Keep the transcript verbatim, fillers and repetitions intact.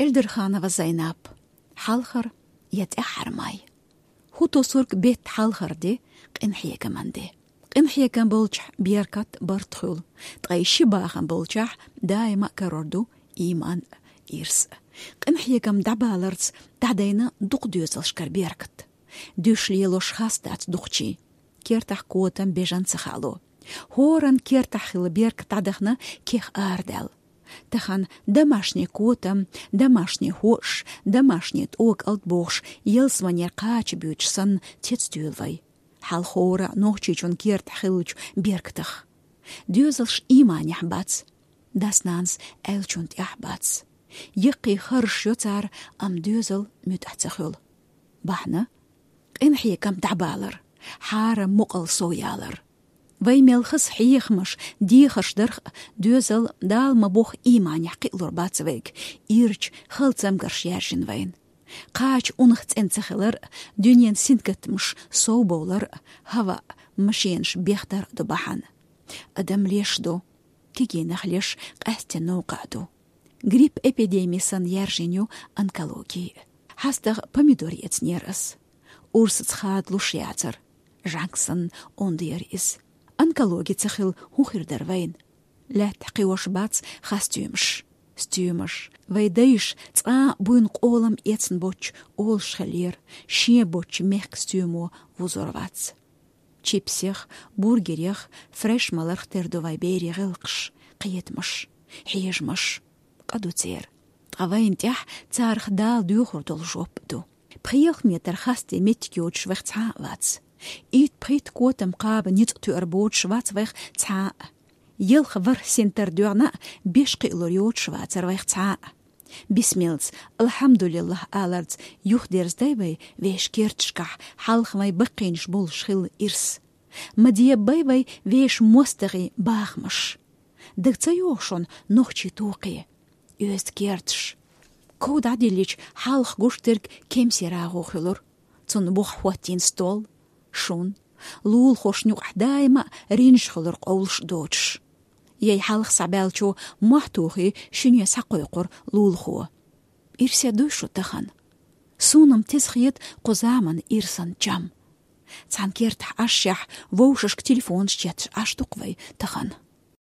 Эльдерханова Зайнап. Хьалхара я тӀаьххьара май. ХӀу тосург бетта хьалхара де, къинхьегаман де. Къинхьегам болчохь беркат, барт хуьлу, ткъа и ши бахам болчохь даима а карор ду ийман а, ирс а. Къинхьегам дӀабаларца дӀадайна дукха доьзалшкара беркат. Дуьш лелош хас дац дукхачийн. Кертахь котам, бежан ца хаало. ХӀоранна кертахь хилла беркат дӀадахана кех арадаьлла. Тахана домашний котам, домашний хӀоаш, домашний тӀокӀалд бохуш, ялсаманера кхача буьйцуш санна, цецдуьйлу вай. Хьалха хӀора Нохчийчун кертахь хиллачу беркатах. Доьзалш ийманехь бац. Дас-нанас аьллачунна тӀехь бац. Яккхий харжаш йо цара, амма доьзал муьтӀахь ца хуьлу. Бахьана? Къинхьегам дӀабалар, хьарам мукъал сов ялар. Вай мел хаза хьехамаш, дехарш дарх а, доьзал Дала ма бохху ийманехь кхиалур бац вайга, ирча хала цамгарш яьржина вайна. Кхача унах цӀена ца хилар а, дуьненан сингаттамаш сов бовлар а, хӀаваъ, машенаш бехдар а ду бахьана. Адам леш ду, кегийнах леш къаьсттина новкъа а ду. Грипп эпидеми санна яьржина ю онкологи. ХьастагӀа помидор эцнера ас. Урсаца хадалуш яцара. ЖӀанг санна онда яра иза. Онкологи ца хилла хӀун хир дара вайна? Лаьттахь кхиош бац хасстоьмаш. Стоьмаш, вай дайша цкъа а буйна къолам эцна боцчу олуш хиллера, шен боцчу мехкан стоьмо вузор вац. Чипсех, бургерех, фреш маларх тера ду вай берийн гӀиллакхаш, кхетамаш, хьежамаш. Къа ду церан. Ткъа вайна тӀехь царах Дала доьхур долу жоп а ду. Пхи-ялх метр хасте меттиг йоцуш вайх цхьа а вац. Итт-пхийтта котам кхаба ницкъ тоьар боцуш вац вайх цхьа а. Ялх-ворхӀ синтар доьгӀна а беш кхиалур йоцуш вацара вайх цхьа а. Бисмиллаца, алхьамдулиллахӀ аларца юхадерзадай вай вешан керташкахь хьалха вайн баккхийнаш болуш хилла ирс. Ма дебабай вай вешан мостагӀийн бахамаш. Дага ца йогӀу шуна нохчийн токхе, оьзда керташ? Ков дӀадиллича, хьалха гуш дерг кемсийн рагӀу хуьлура. Цунна бухахь хӀоттийна стол, шун, лулахошна юкъахь даима а ринжа хуьлура къовлуш а доцуш. Яй хьалха схьабаьллачо мохь тухий, шуьне схьакхойкхура лулахо. Ирсе дуй шу тахана? Суна-м теза хета кху заманан ирсан чам. Цхьана кертахь Ӏашшехь, вовшашка телефонаш четташ Ӏаш ду-кх вай тахана.